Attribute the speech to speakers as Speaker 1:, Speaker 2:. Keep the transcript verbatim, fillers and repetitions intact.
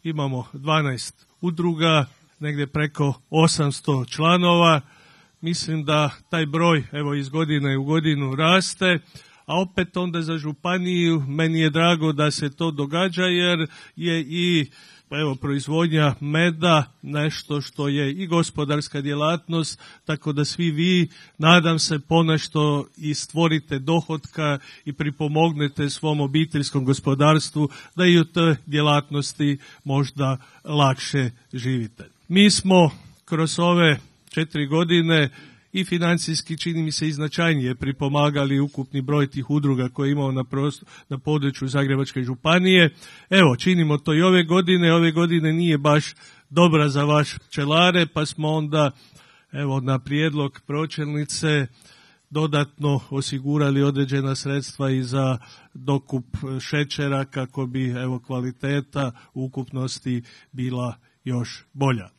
Speaker 1: imamo dvanaest udruga, negdje preko osamsto članova. Mislim da taj broj evo iz godine u godinu raste, a opet onda za županiju meni je drago da se to događa jer je i evo proizvodnja meda nešto što je i gospodarska djelatnost, tako da svi vi, nadam se, ponešto i stvorite dohotka i pripomognete svom obiteljskom gospodarstvu da i u toj djelatnosti možda lakše živite. Mi smo kroz ove četiri godine i financijski, čini mi se, i značajnije pripomagali ukupni broj tih udruga koje imamo na, prostor, na području Zagrebačke županije. Evo, činimo to i ove godine. Ove godine nije baš dobra za vaš pčelare, pa smo onda evo na prijedlog pročelnice dodatno osigurali određena sredstva i za dokup šećera kako bi evo kvaliteta ukupnosti bila još bolja.